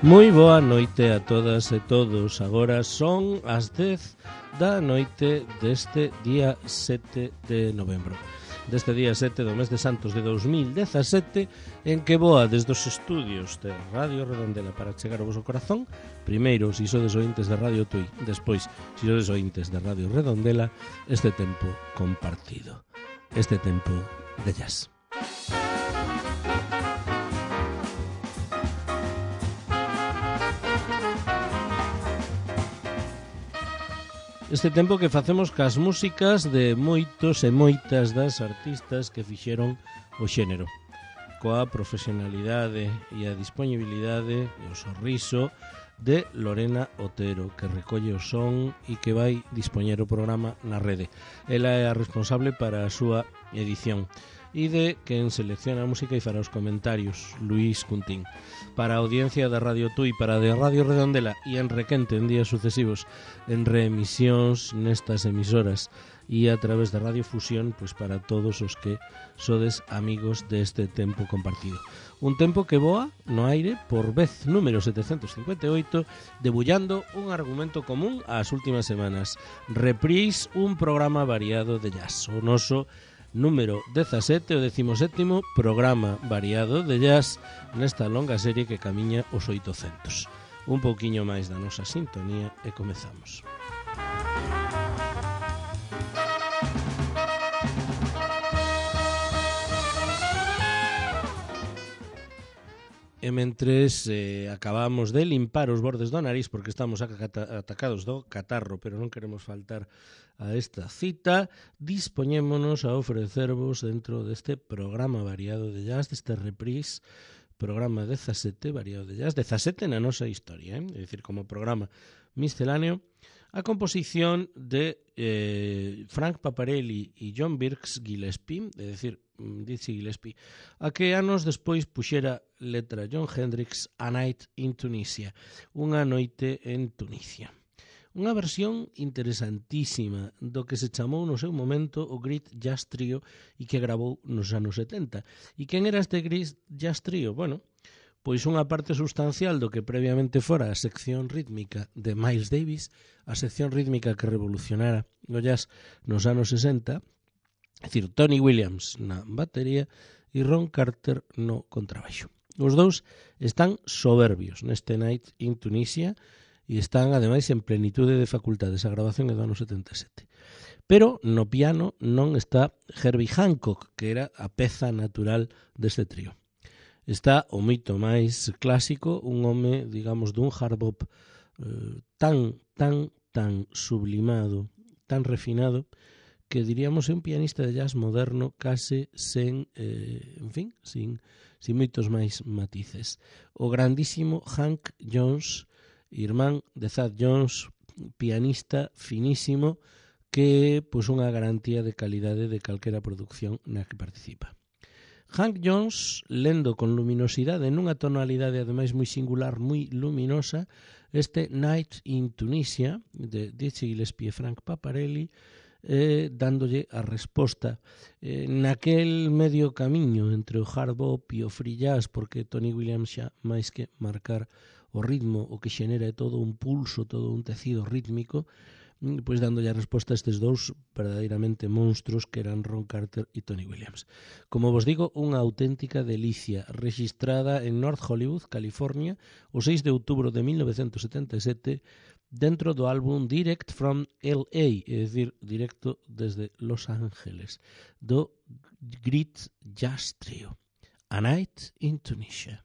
Moi boa noite a todas e todos. Agora son as 10 da noite deste día 7 de novembro. Deste día 7 do mes de Santos de 2017, en que voa desde os estudios de Radio Redondela para chegar ao vosso corazón. Primeiro, si sodes ointes de Radio Tui, despois, si sodes ointes de Radio Redondela, este tempo compartido, este tempo de jazz. Este tempo que facemos cas músicas de moitos e moitas das artistas que fixeron o xénero, coa profesionalidade e a disponibilidade e o sorriso de Lorena Otero, que recolle o son e que vai dispoñer o programa na rede. Ela é a responsable para a súa edición e de quen selecciona a música e fará os comentarios, Luís Cuntín. Para a audiencia da Radio Tui, para a de Radio Redondela e en Requente en días sucesivos en reemisións nestas emisoras e a través da Radio Fusión, pois para todos os que sodes amigos deste tempo compartido. Un tempo que voa no aire por vez número 758, debullando un argumento común ás últimas semanas. Reprise, un programa variado de jazz. O noso número 17, o 17º programa variado de jazz nesta longa serie que camiña os 800. Un pouquiño máis da nosa sintonía e comezamos. E mentres acabamos de limpar os bordes do nariz porque estamos atacados do catarro, pero non queremos faltar a esta cita, dispoñémonos a ofrecervos dentro deste programa variado de jazz, deste reprise, programa 17 variado de jazz, 17 na nosa historia, é dicir, como programa misceláneo, a composición de Frank Paparelli e John Birks Gillespie, é dicir, Dizzy Gillespie, a que anos despois puxera letra John Hendricks, A Night in Tunisia, unha noite en Tunisia. Unha versión interesantísima do que se chamou no seu momento o Great Jazz Trio e que gravou nos anos 70. E quen era este Great Jazz Trio? Bueno, pois unha parte sustancial do que previamente fora a sección rítmica de Miles Davis, a sección rítmica que revolucionara o jazz nos anos 60, é dicir, Tony Williams na batería e Ron Carter no contrabaixo. Os dous están soberbios neste Night in Tunisia e están, ademais, en plenitude de facultades. A grabación é do ano 77. Pero no piano non está Herbie Hancock, que era a peza natural deste trío. Está o moito máis clásico, un home, digamos, dun hard bop tan sublimado, tan refinado, que diríamos é un pianista de jazz moderno case sen, sin moitos máis matices. O grandísimo Hank Jones, irmán de Thad Jones, pianista finísimo, que pois unha garantía de calidade de calquera producción na que participa. Hank Jones, lendo con luminosidade nunha tonalidade ademais moi singular, moi luminosa, este Night in Tunisia de Dizzy Gillespie e Frank Paparelli, dándolle a resposta naquel medio camiño entre o hard bop e o free jazz, porque Tony Williams xa máis que marcar o ritmo, o que xenera é todo un pulso, todo un tecido rítmico, pois dándolle a resposta a estes dous verdadeiramente monstruos que eran Ron Carter e Tony Williams. Como vos digo, unha auténtica delicia, registrada en North Hollywood, California, o 6 de outubro de 1977, dentro do álbum Direct from L.A., é dicir, directo desde Los Ángeles, do Great Jazz Trio, A Night in Tunisia.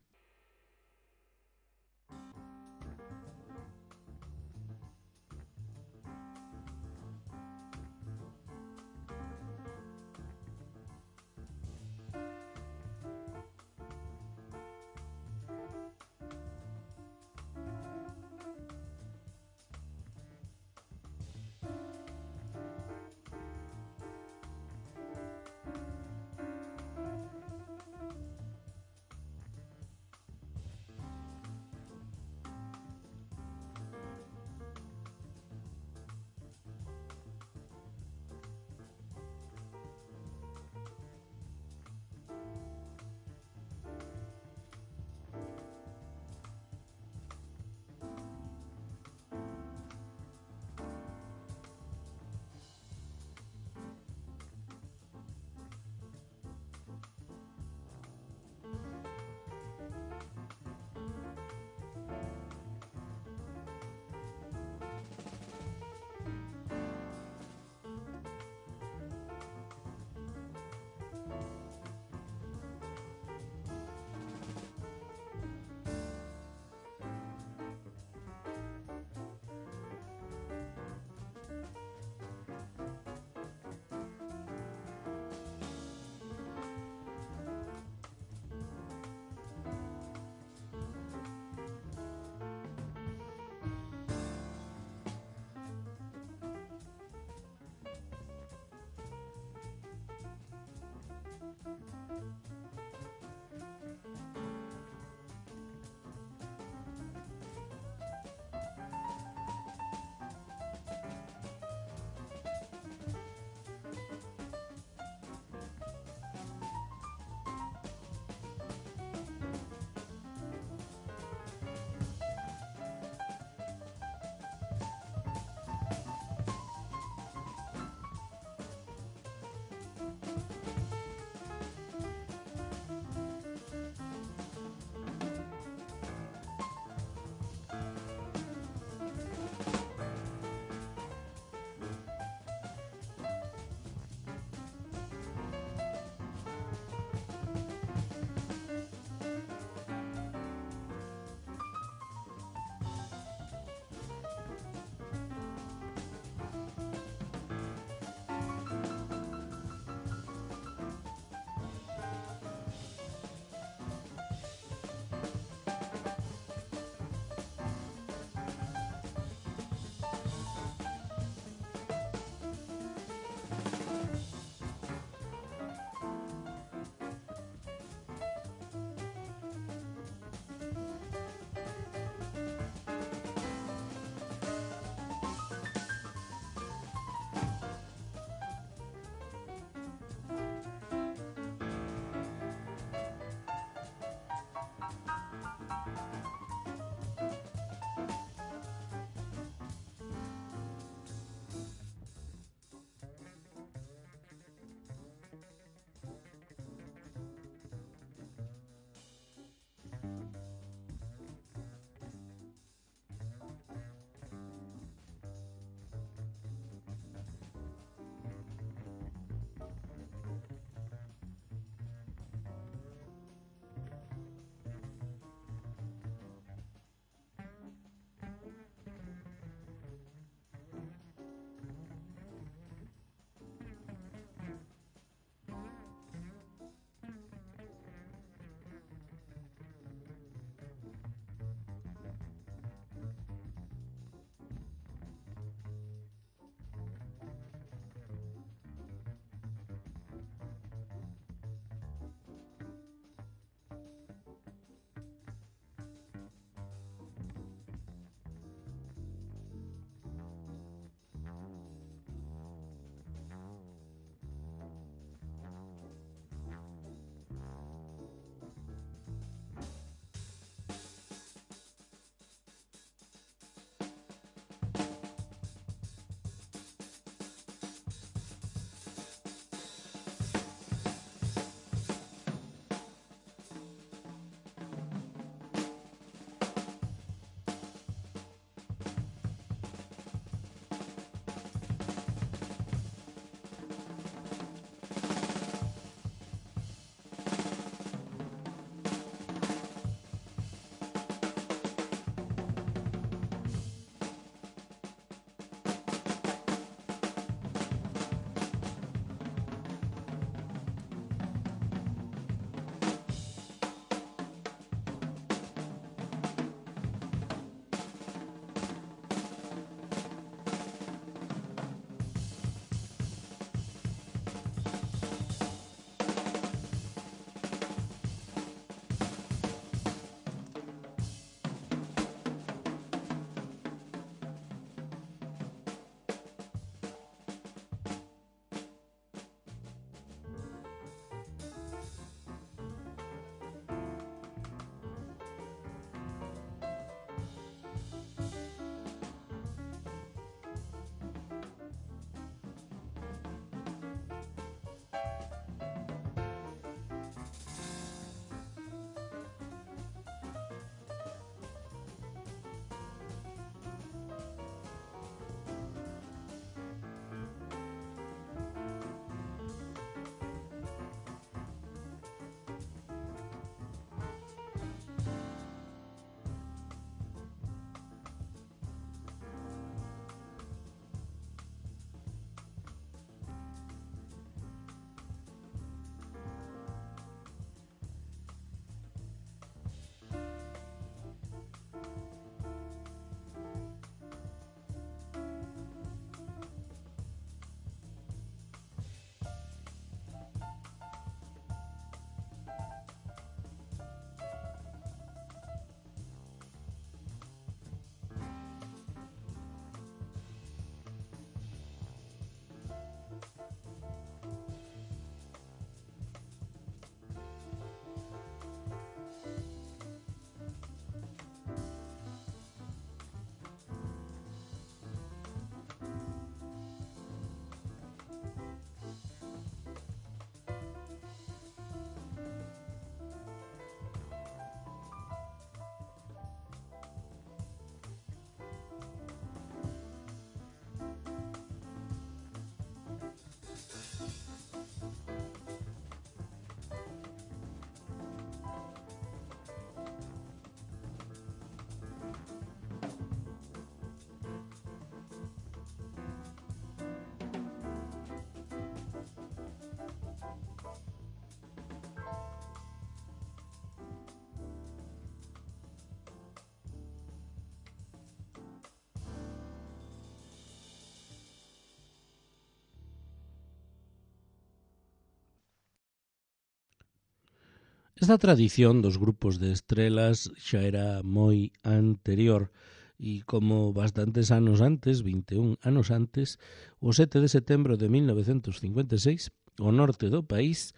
Esta tradición dos grupos de estrelas xa era moi anterior e como bastantes anos antes, 21 anos antes, o 7 de setembro de 1956, o norte do país,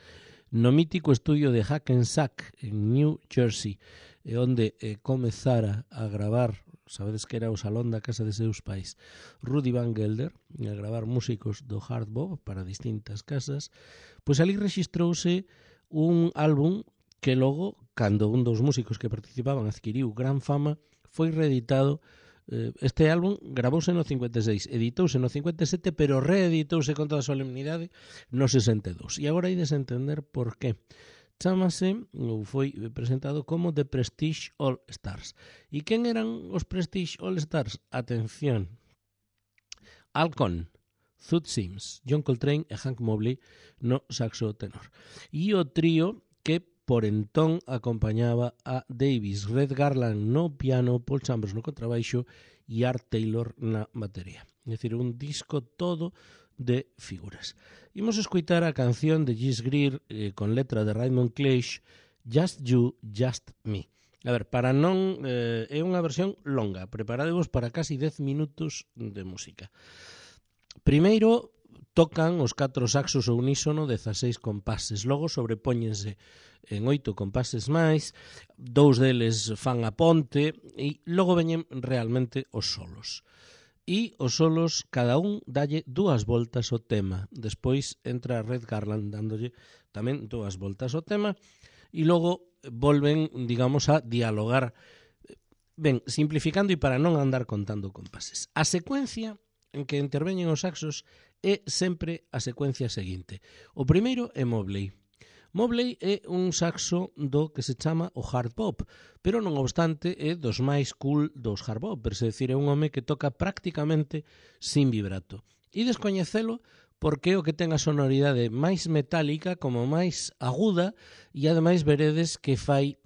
no mítico estudio de Hackensack en New Jersey, onde comezara a gravar, sabedes que era o salón da casa de seus pais, Rudy Van Gelder, a gravar músicos do hard bop para distintas casas, pois ali rexistrouse un álbum que logo, cando un dos músicos que participaban adquiriu gran fama, foi reeditado. Este álbum gravouse no 56, editouse no 57, pero reeditouse con toda a solemnidade no 62. E agora ides entender por qué. Chámase, ou foi presentado como The Prestige All Stars. E quen eran os Prestige All Stars? Atención. Al Cohn, Thud Sims, John Coltrane e Hank Mobley no saxo tenor. E o trío que por entón acompañaba a Davis, Red Garland no piano, Paul Chambers no contrabaixo e Art Taylor na batería. É dicir, un disco todo de figuras. Imos escoitar a canción de Gis Greer con letra de Raymond Cleish, Just You, Just Me. A ver, para non... é unha versión longa, preparadevos para casi 10 minutos de música. Primeiro, tocan os 4 saxos ao unísono 16 compases, logo sobrepóñense en 8 compases máis, 2 deles fan a ponte e logo veñen realmente os solos. E os solos, cada un dalle 2 voltas ao tema. Despois entra Red Garland dándolle tamén 2 voltas ao tema e logo volven, digamos, a dialogar. Ben, simplificando e para non andar contando compases. A secuencia en que interveñen os saxos é sempre a secuencia seguinte. O primeiro é Mobley. Mobley é un saxo do que se chama o hard bop, pero non obstante é dos máis cool dos hard boppers, é dicir, é un home que toca prácticamente sin vibrato. E descoñecelo porque é o que ten a sonoridade máis metálica como máis aguda e ademais veredes que fai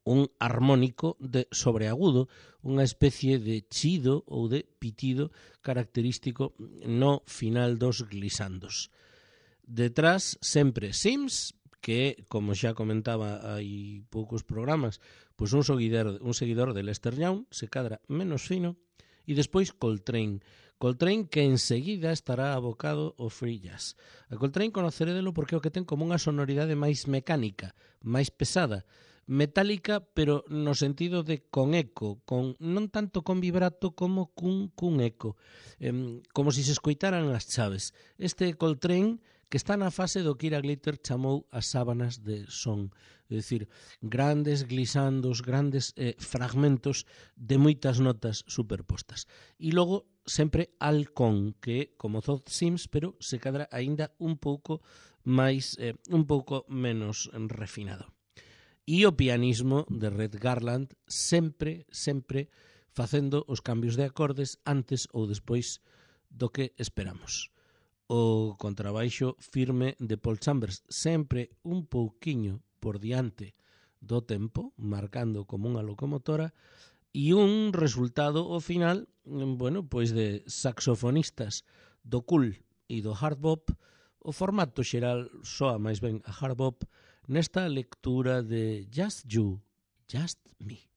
un armónico de sobreagudo, unha especie de chido ou de pitido característico no final dos glisandos. Detrás, sempre Sims, que, como xa comentaba hai poucos programas, pois un seguidor de Lester Young, se cadra menos fino, e despois Coltrane. Coltrane que enseguida estará abocado ao free jazz. A Coltrane conocerédelo porque é o que ten como unha sonoridade máis mecánica, máis pesada, metálica, pero no sentido de con eco, non tanto con vibrato como cun eco, como se escoitaran as chaves. Este Coltrane que está na fase do que Ira Glitter chamou as sábanas de son, é dicir, grandes glisandos, grandes fragmentos de moitas notas superpostas. E logo sempre Al Cohn, que é como Thud Sims, pero se cadra aínda un pouco máis, un pouco menos refinado. E o pianismo de Red Garland sempre facendo os cambios de acordes antes ou despois do que esperamos. O contrabaixo firme de Paul Chambers, sempre un pouquiño por diante do tempo, marcando como unha locomotora, e un resultado ao final, bueno, pois de saxofonistas do cool e do hard bop. O formato xeral soa máis ben a hard bop nesta lectura de Just You, Just Me.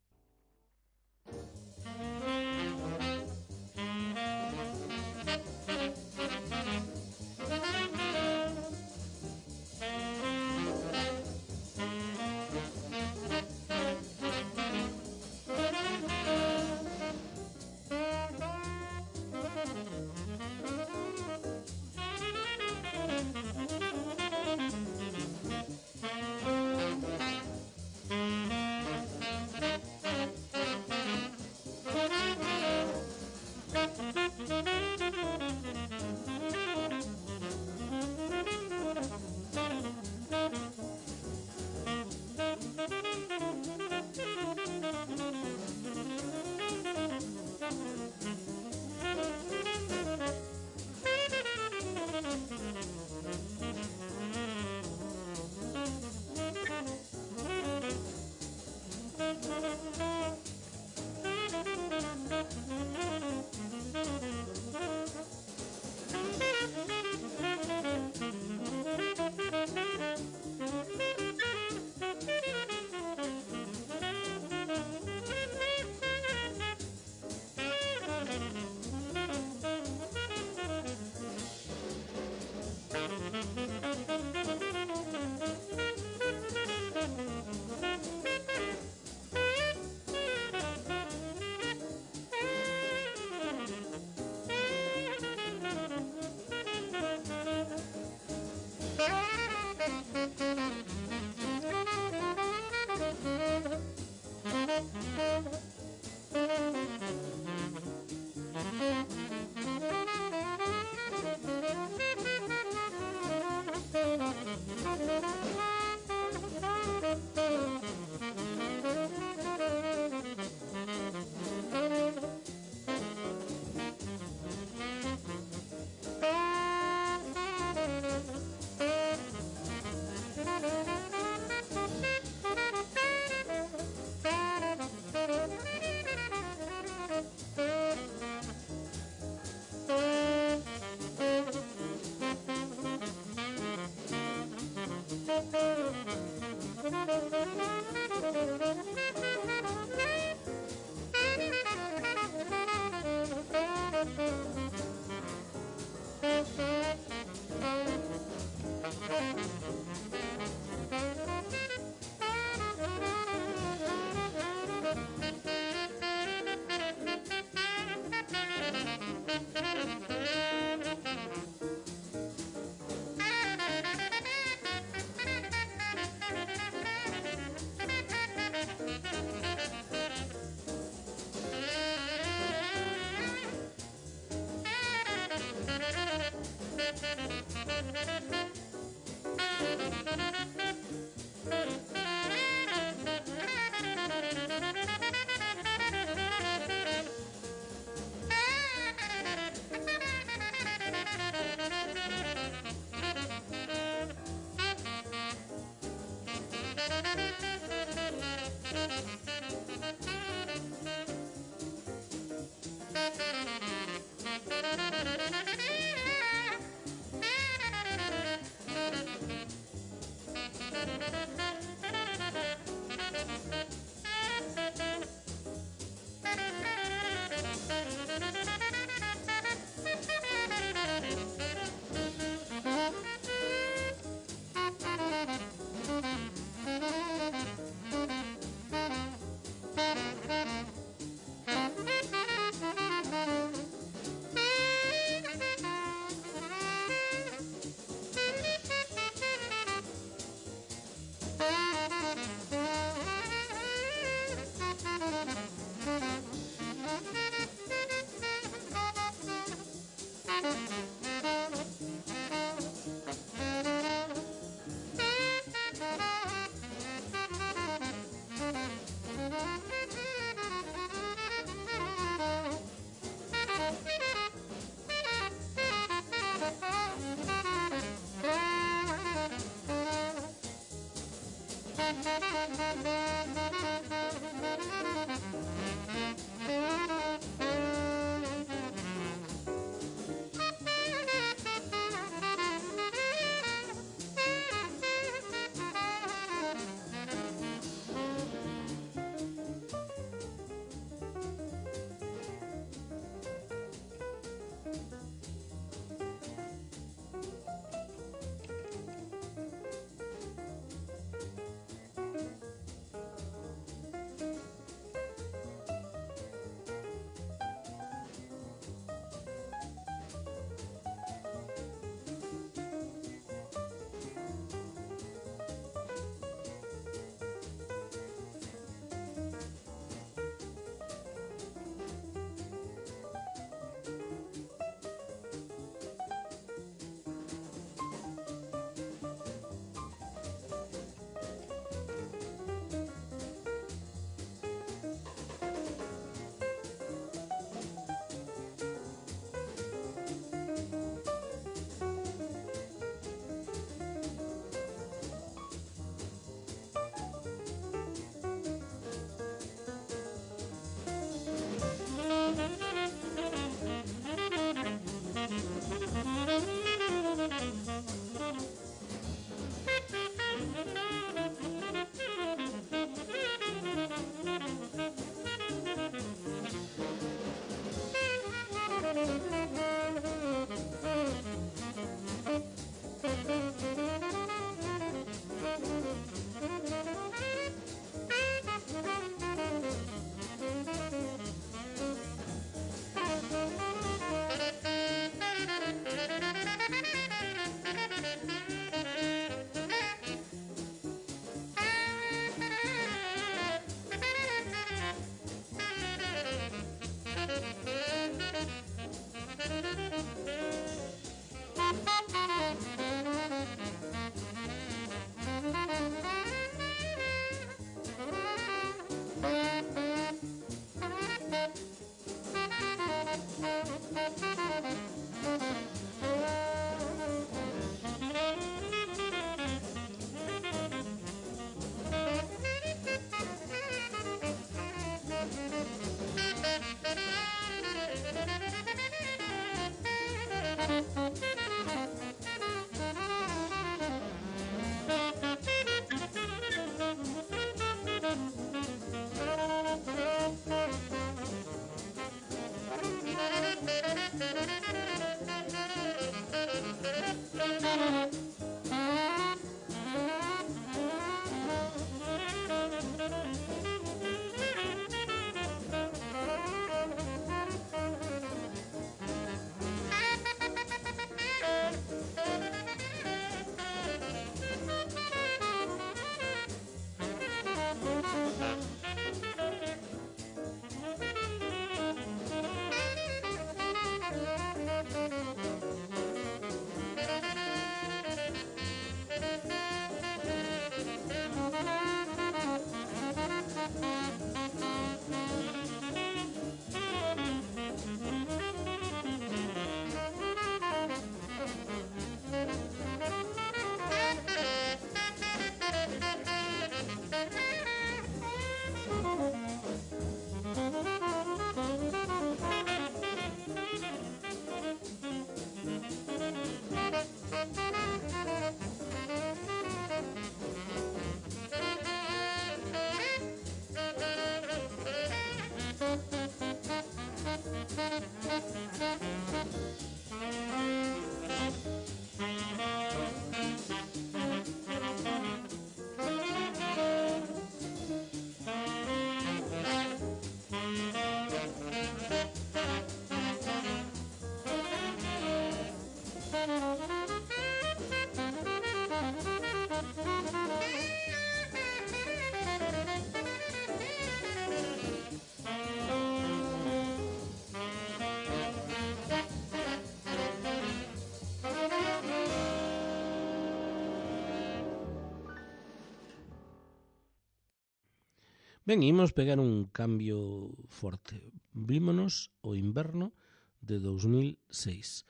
Ben, imos pegar un cambio forte. Vímonos o inverno de 2006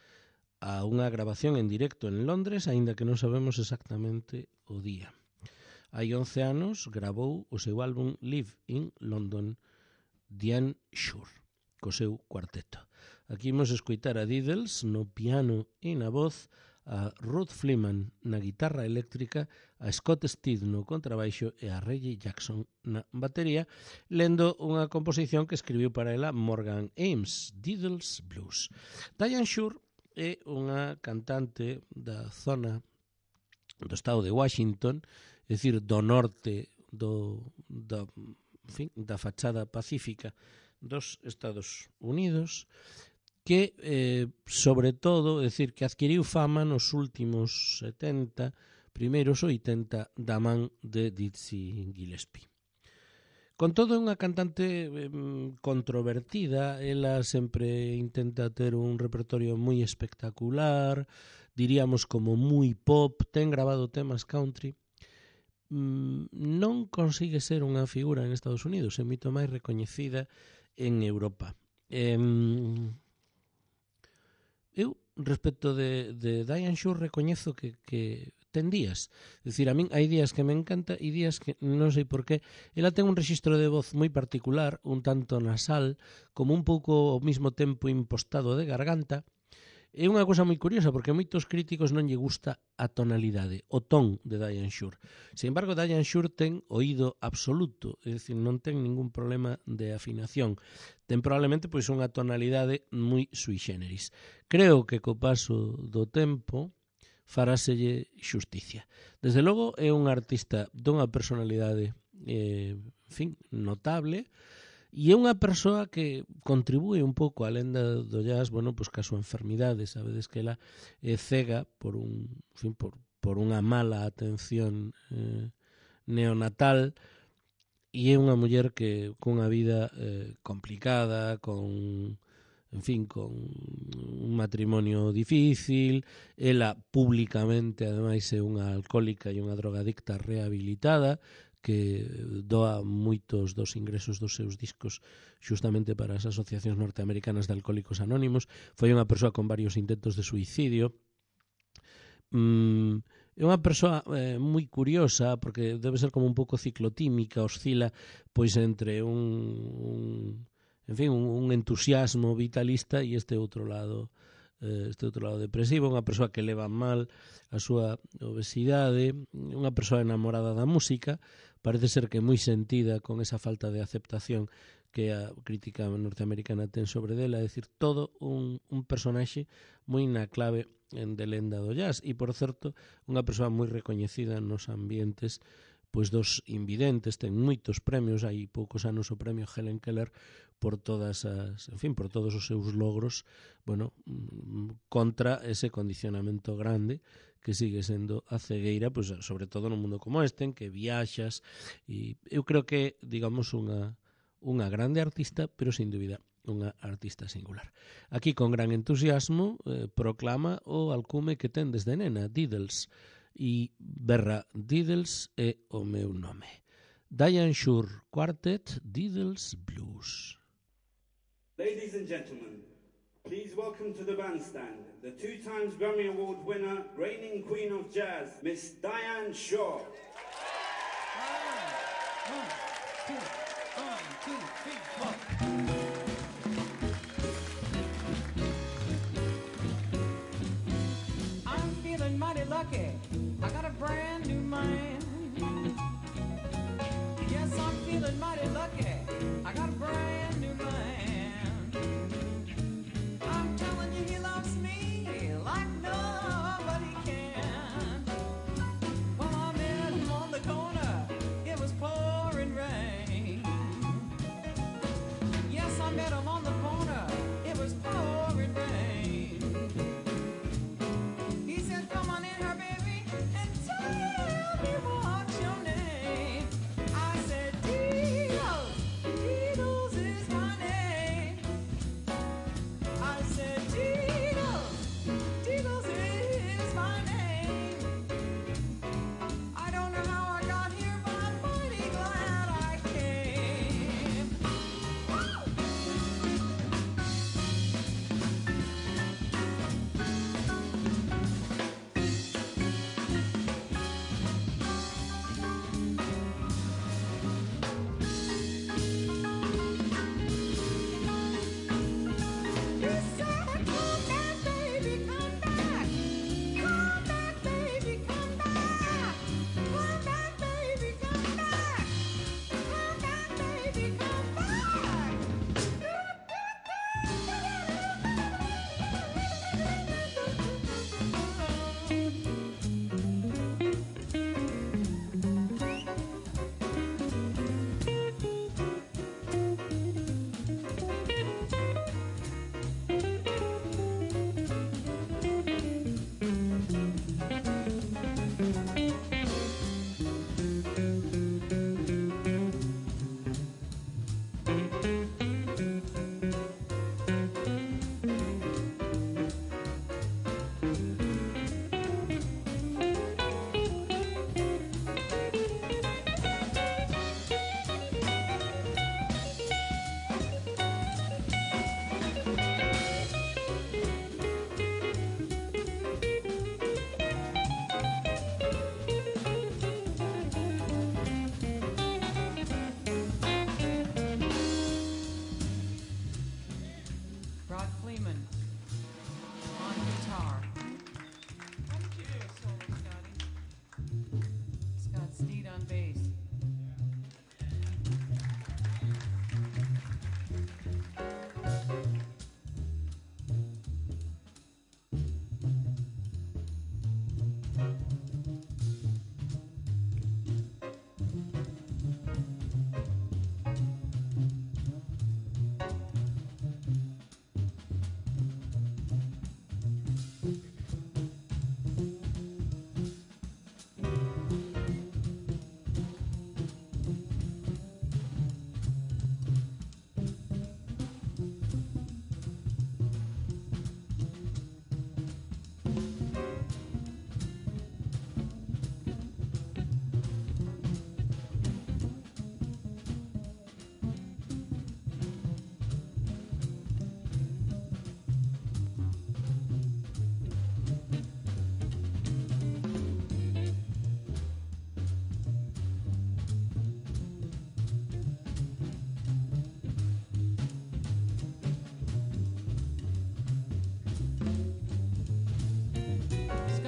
a unha grabación en directo en Londres, aínda que non sabemos exactamente o día. Hai 11 anos gravou o seu álbum Live in London, Diane Shure, co seu cuarteto. Aquí imos escoitar a Diddles no piano e na voz, a Ruth Fleeman na guitarra eléctrica, a Scott Steed no contrabaixo e a Reggie Jackson na batería, lendo unha composición que escribiu para ela Morgan Ames, Diddles Blues. Diane Shure é unha cantante da zona do estado de Washington, é dicir, do norte da fachada pacífica dos Estados Unidos, que, sobre todo, é dicir, que adquiriu fama nos últimos 70, primeiros 80, da man de Dizzy Gillespie. Con todo, é unha cantante controvertida, ela sempre intenta ter un repertorio moi espectacular, diríamos como moi pop, ten grabado temas country, non consigue ser unha figura en Estados Unidos, é moito máis recoñecida en Europa. Eu, respecto de Diane Shure, recoñezo que ten días. É dicir, a min hai días que me encanta e días que non sei por qué. Ela ten un rexistro de voz moi particular, un tanto nasal, como un pouco ao mesmo tempo impostado de garganta. É unha cousa moi curiosa, porque a moitos críticos non lle gusta a tonalidade, o ton de Diane Shure. Sin embargo, Diane Shure ten oído absoluto, é dicir, non ten ningún problema de afinación. Ten probablemente pois unha tonalidade moi sui generis. Creo que co paso do tempo faráselle xusticia. Desde logo, é un artista dunha personalidade notable, e é unha persoa que contribúe un pouco á lenda do jazz, bueno, pois ca súa enfermidade. Sabedes que ela é cega por unha mala atención neonatal, e é unha muller que cunha vida complicada, con un matrimonio difícil. Ela públicamente, ademais, é unha alcohólica e unha drogadicta rehabilitada, que doa moitos dos ingresos dos seus discos xustamente para as asociacións norteamericanas de alcohólicos anónimos. Foi unha persoa con varios intentos de suicidio. É unha persoa moi curiosa, porque debe ser como un pouco ciclotímica, oscila pois entre un entusiasmo vitalista e este outro lado depresivo. Unha persoa que leva mal a súa obesidade, unha persoa enamorada da música, parece ser que moi sentida con esa falta de aceptación que a crítica norteamericana ten sobre dela, é dicir, todo un personaxe moi na clave de lenda do jazz, e, por certo, unha persoa moi recoñecida nos ambientes pois dos invidentes. Ten moitos premios, hai poucos anos o premio Helen Keller por todos os seus logros, bueno, contra ese condicionamento grande que sigue sendo a cegueira, pois sobre todo no mundo como este, en que viaxas, e eu creo que, digamos, unha grande artista, pero sin dúbida unha artista singular. Aquí, con gran entusiasmo, proclama o alcume que ten desde nena, Diddles, e berra Diddles é o meu nome. Diane Shure Quartet, Diddles Blues. Ladies and gentlemen, please welcome to the bandstand the 2 times Grammy Award winner, reigning queen of jazz, Miss Diane Shure. 1, 2, 1, 2, 3, 4. Mighty lucky, I got a brand new mind. Yes, I'm feeling mighty lucky, I got a brand new mind. I'm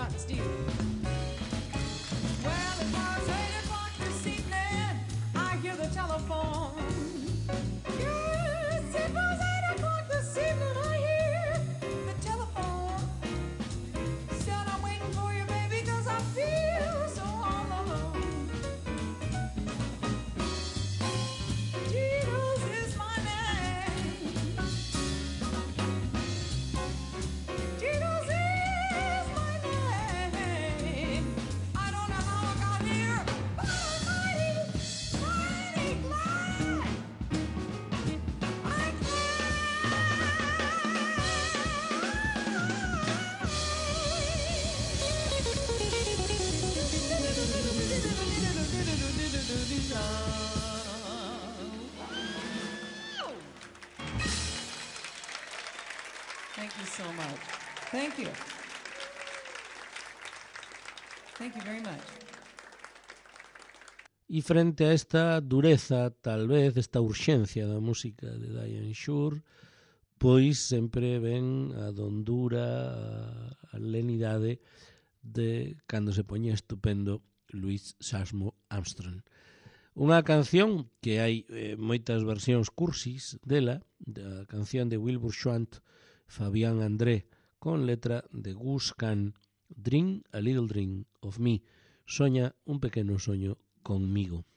shot steel. Well, it was 8 o'clock this evening. I hear the telephone. Yes, it was 8 o'clock this evening. I hear the telephone. Said I'm waiting for you, baby, 'cause I feel so all alone. Tito's is my name. Tito's is my name. I don't know how I got here, but I'm mighty, mighty glad. I'm Thank you so much. Thank you. Thank you very much. E frente a esta dureza, tal vez, esta urxencia da música de Diane Shure, pois sempre ven a dondura, a lenidade de cando se poñía estupendo Louis Armstrong. Unha canción que hai moitas versións cursis dela, da canción de Wilbur Schwant, Fabián André, con letra de Gus Kahn, Dream a Little Dream of Me, soña un pequeno soño conmigo.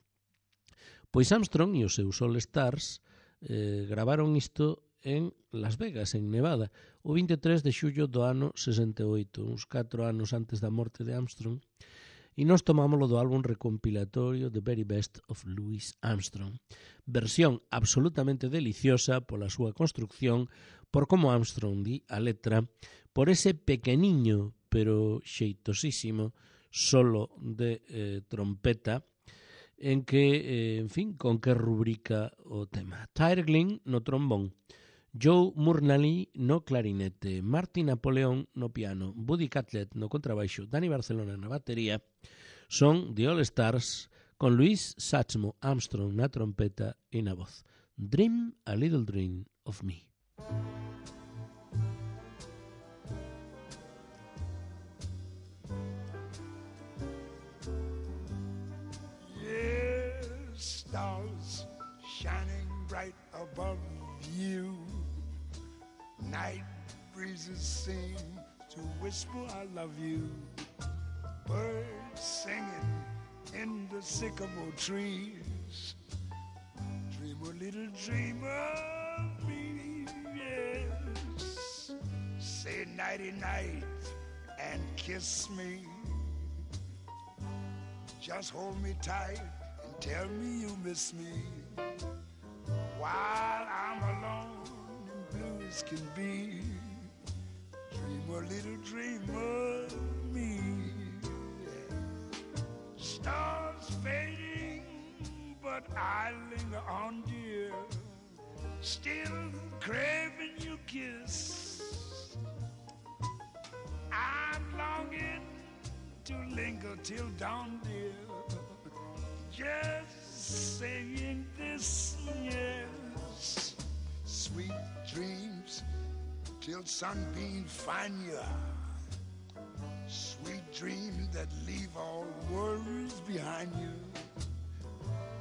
Pois Armstrong e os seus All Stars gravaron isto en Las Vegas, en Nevada, o 23 de xullo do ano 68, uns 4 anos antes da morte de Armstrong, e nos tomámoslo do álbum recompilatorio The Very Best of Louis Armstrong. Versión absolutamente deliciosa pola súa construcción, por como Armstrong di a letra, por ese pequeniño pero xeitosísimo solo de trompeta, en que, en fin, con que rubrica o tema. Tyler Glynn no trombón, Joe Murnally no clarinete, Martin Napoleon no piano, Buddy Catlett no contrabaixo, Danny Barcelona na batería, son The All Stars con Louis Armstrong na trompeta e na voz. Dream a Little Dream of Me. Yes, stars shining bright above you. Night breezes seem to whisper I love you. Birds singing in the sycamore trees. Dream a little dream of me, yes. Say nighty night and kiss me. Just hold me tight and tell me you miss me. While I'm alone and blue as can be, dream a little dream of me. Stars fading, but I linger on, dear, still craving your kiss. I'm longing to linger till dawn, dear, just saying this, yes. Sweet dreams till sunbeams find you. Sweet dreams that leave all worries behind you.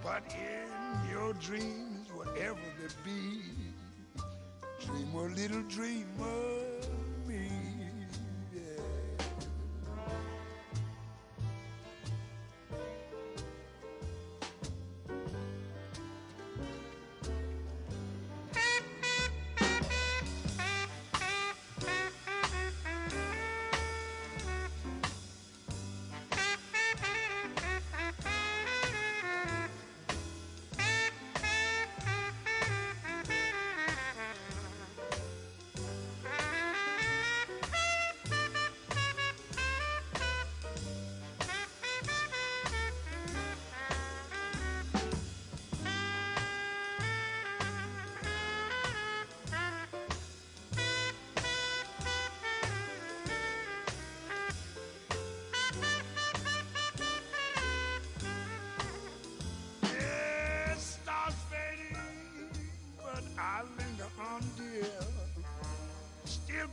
But in your dreams, whatever they be, dream a little dream of me.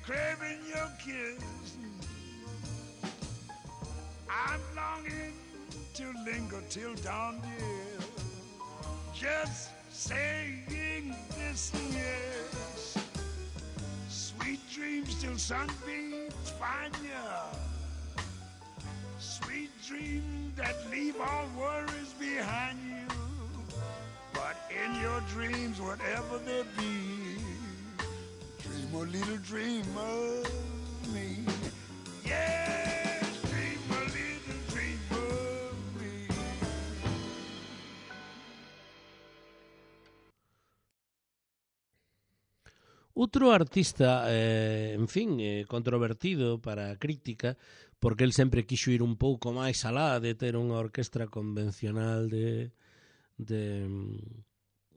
Craving your kiss. I'm longing to linger till dawn, dear. Just saying this and yes. Sweet dreams till sunbeams find ya. Sweet dreams that leave all worries behind you. But in your dreams, whatever they be, dream a little dream of me. Yes, dream a little dream of me. Outro artista, en fin, controvertido para a crítica, porque el sempre quixo ir un pouco máis alá de ter unha orquestra convencional de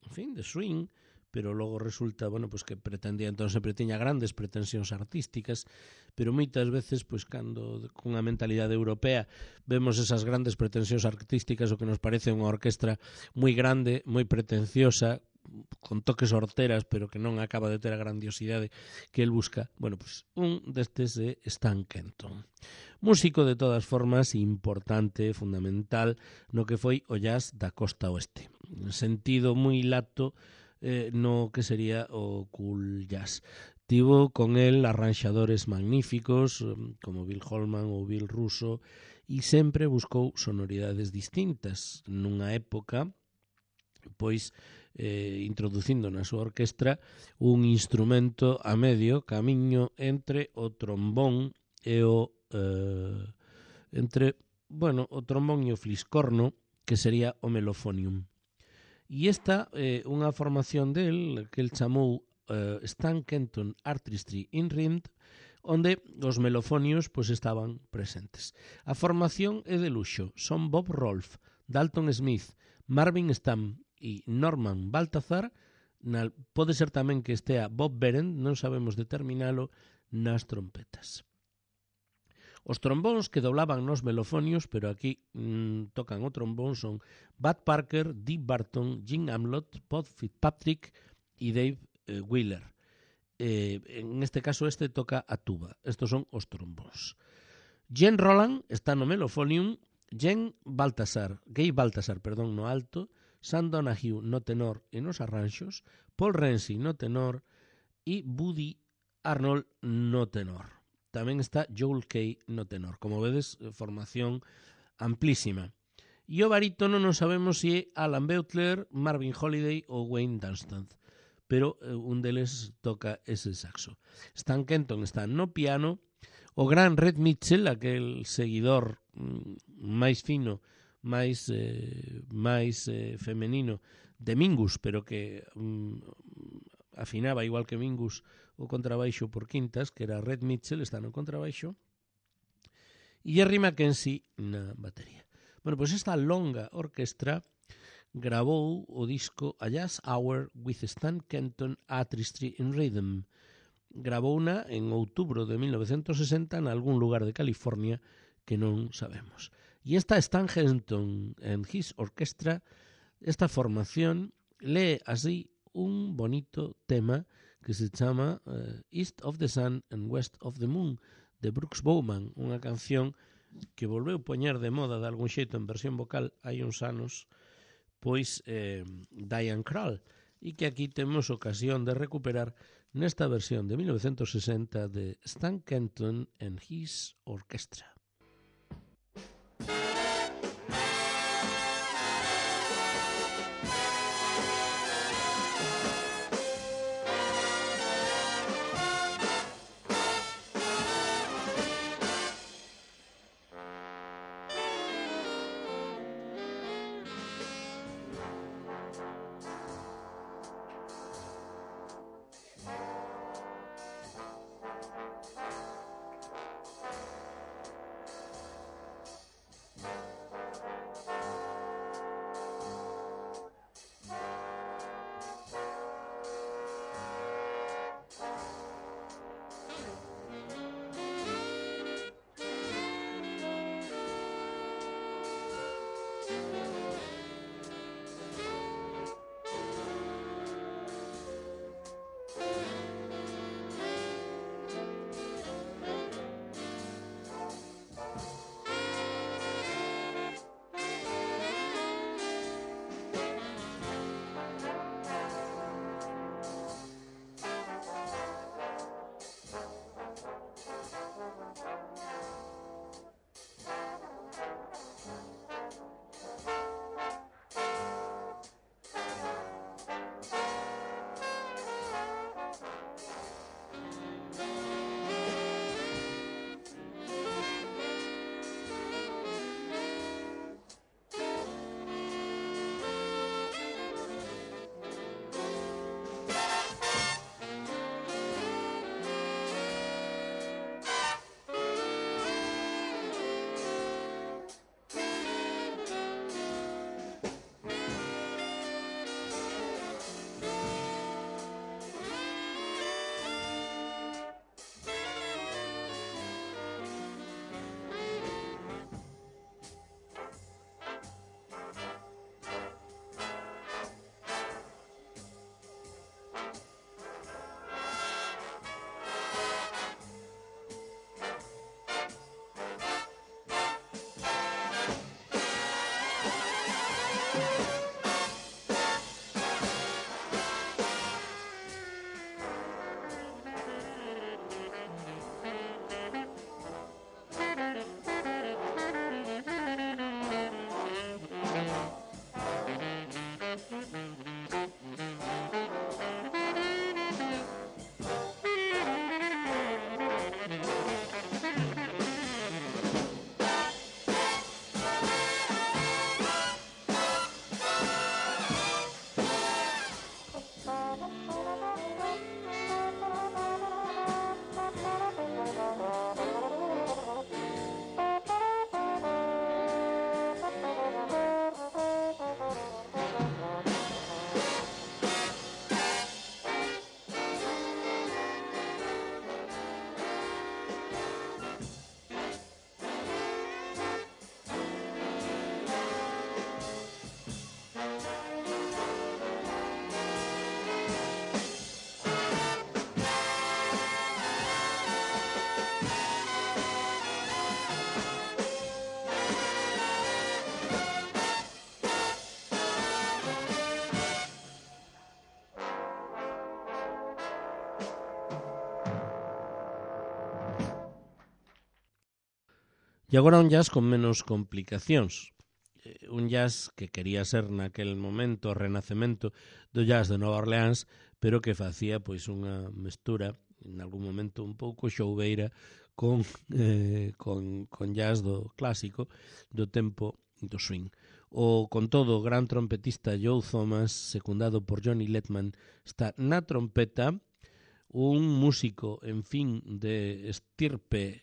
en fin, de swing, pero logo resulta, bueno, pues que pretendía, entón sempre tiña grandes pretensións artísticas, pero moitas veces, pues cando cunha mentalidade europea vemos esas grandes pretensións artísticas, o que nos parece unha orquestra moi grande, moi pretenciosa, con toques horteras, pero que non acaba de ter a grandiosidade que el busca. Bueno, pues un destes é Stan Kenton. Músico de todas formas importante, fundamental no que foi o jazz da costa oeste. En sentido moi lato no que sería o cool jazz. Tivo con el arranxadores magníficos como Bill Holman ou Bill Russo e sempre buscou sonoridades distintas nunha época pois introducindo na súa orquestra un instrumento a medio camiño entre o trombón e o o trombón e o fliscorno, que sería o melofonium. E esta é unha formación del que el chamou Stan Kenton Artistry in Rhythm, onde os melofonios pois estaban presentes. A formación é de luxo, son Bob Rolfe, Dalton Smith, Marvin Stamm e Norman Baltazar. Pode ser tamén que estea Bob Berend, non sabemos determinalo, nas trompetas. Os trombóns que doblaban nos melofonios, pero aquí tocan o trombón, son Bud Parker, Dee Barton, Jim Amlott, Pod Fitzpatrick e Dave Wheeler. En este caso este toca a tuba. Estos son os trombóns. Gene Roland está no melofonium, Gabe Baltasar, no alto, Sam Donahue no tenor e nos arranxos, Paul Renzi no tenor e Buddy Arnold no tenor. Tamén está Joel Kay no tenor. Como vedes, formación amplísima. E o barítono non sabemos se é Alan Beutler, Marvin Holiday ou Wayne Dunstan, pero un deles toca ese saxo. Stan Kenton está no piano, o gran Red Mitchell, aquel seguidor máis fino, máis femenino de Mingus, pero que afinaba igual que Mingus o contrabaixo por quintas, que era Red Mitchell, está no contrabaixo, e Jerry Mackenzie na batería. Bueno, pois esta longa orquestra grabou o disco A Jazz Hour with Stan Kenton Artistry in Rhythm. Grabouna en outubro de 1960 en algún lugar de California que non sabemos. E esta Stan Kenton and His Orchestra, esta formación, lee así un bonito tema que se chama East of the Sun and West of the Moon, de Brooks Bowman, unha canción que volveu poñer de moda de algún xeito en versión vocal hai uns anos, pois Diane Krall, e que aquí temos ocasión de recuperar nesta versión de 1960 de Stan Kenton and His Orchestra. E agora un jazz con menos complicacións. Un jazz que quería ser naquel momento o renacemento do jazz de Nova Orleans, pero que facía pois unha mestura en algún momento un pouco xoubeira con jazz do clásico do tempo do swing. O, con todo, o gran trompetista Joe Thomas, secundado por Johnny Letman, está na trompeta, un músico, en fin, de estirpe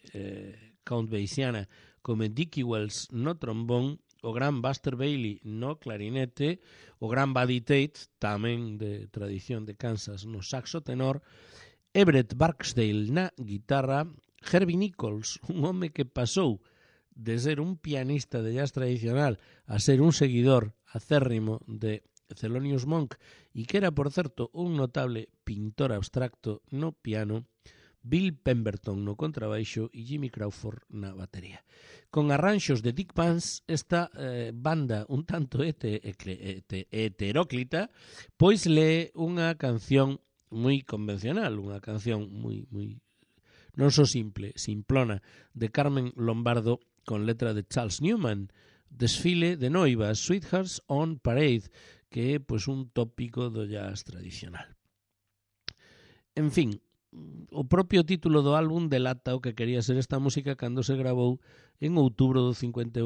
count bayesiana como Dickie Wells no trombón, o gran Buster Bailey no clarinete, o gran Buddy Tate, tamén de tradición de Kansas, no saxo tenor, Everett Barksdale na guitarra, Herbie Nichols, un home que pasou de ser un pianista de jazz tradicional a ser un seguidor acérrimo de Thelonious Monk e que era, por certo, un notable pintor abstracto no piano, Bill Pemberton no contrabaixo e Jimmy Crawford na batería. Con arranxos de Dick Vance, esta banda un tanto heteróclita, pois lee unha canción moi convencional, unha canción moi non só simple, simplona, de Carmen Lombardo con letra de Charles Newman, Desfile de noivas, Sweethearts on Parade, que é pois un tópico do jazz tradicional. En fin, o propio título do álbum delata o que quería ser esta música cando se gravou en outubro do 58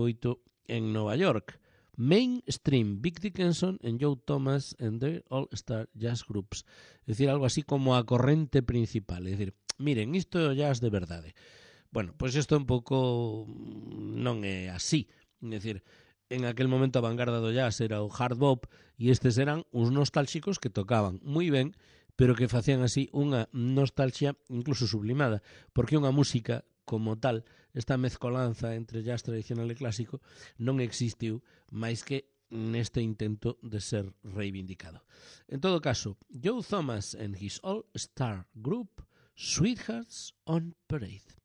en Nova York. Mainstream, Vic Dickinson and Joe Thomas and their All-Star Jazz Groups. É dicir, algo así como a corrente principal. É dicir, miren, isto é o jazz de verdade. Bueno, pois isto un pouco non é así. É dicir, en aquel momento a vanguarda do jazz era o hard bop e estes eran uns nostálxicos que tocaban moi ben, pero que facían así unha nostalgia incluso sublimada, porque unha música como tal, esta mezcolanza entre jazz tradicional e clásico, non existiu máis que neste intento de ser reivindicado. En todo caso, Joe Thomas and his All-Star Group, Sweethearts on Parade.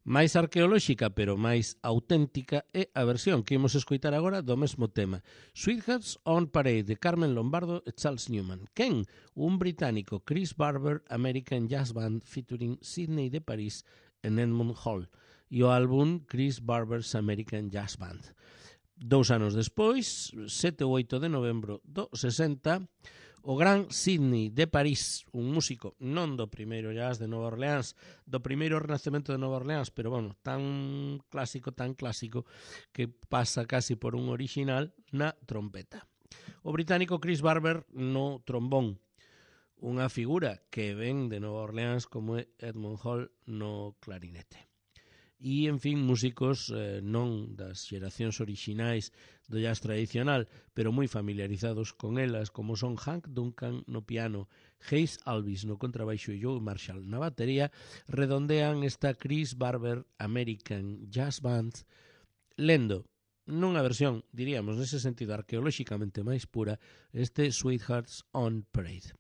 Máis arqueolóxica, pero máis auténtica é a versión que imos escoitar agora do mesmo tema. Sweethearts on Parade, de Carmen Lombardo e Charles Newman. Quen? Un británico, Chris Barber, American Jazz Band, featuring Sydney de París en Edmund Hall. E o álbum Chris Barber's American Jazz Band. 2 anos despois, 7 ou 8 de novembro do 60, o gran Sydney de París, un músico non do primeiro jazz de Nova Orleans, do primeiro renacemento de Nova Orleans, pero bueno, tan clásico, que pasa casi por un original na trompeta. O británico Chris Barber no trombón, unha figura que ven de Nova Orleans como é Edmund Hall no clarinete. E, en fin, músicos non das xeracións orixinais do jazz tradicional, pero moi familiarizados con elas, como son Hank Duncan no piano, Hayes Alvis no contrabaixo e Joe Marshall na batería, redondean esta Chris Barber American Jazz Band, lendo nunha versión, diríamos, nese sentido arqueolóxicamente máis pura, este Sweethearts on Parade.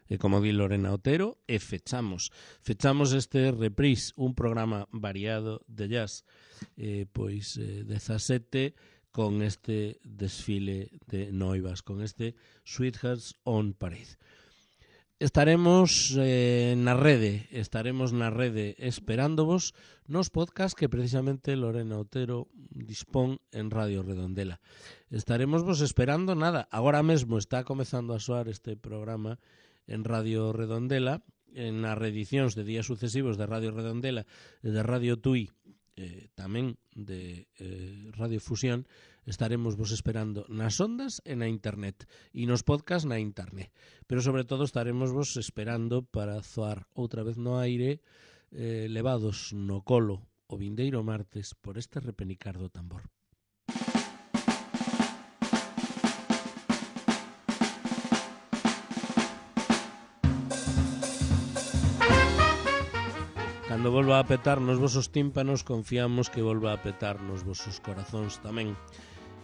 E como di Lorena Otero, e fechamos este reprise, un programa variado de jazz, 17 con este desfile de noivas, con este Sweethearts on Parade. Estaremos na rede esperándovos nos podcast que precisamente Lorena Otero dispón en Radio Redondela. Estaremos vos esperando nada. Agora mesmo está comezando a soar este programa en Radio Redondela, en as reedicións de días sucesivos de Radio Redondela e de Radio Tui, tamén de Radio Fusión. Estaremos vos esperando nas ondas e na internet e nos podcast na internet, pero sobre todo estaremos vos esperando para zoar outra vez no aire, levados no colo o vindeiro martes por este repenicar do tambor. Cando volva a petar nos vosos tímpanos, confiamos que volva a petar nos vosos corazóns tamén.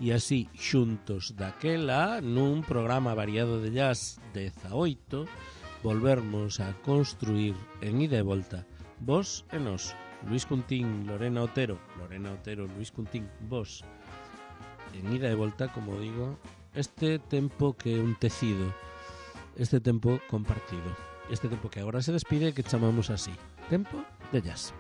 E así, xuntos daquela, nun programa variado de jazz 18, volvermos a construir en ida e volta, vos e nós, Luis Cuntín, Lorena Otero, Luis Cuntín, vos, en ida e volta, como digo, este tempo que é un tecido, este tempo compartido, este tempo que agora se despide que chamamos así, tempo de jazz.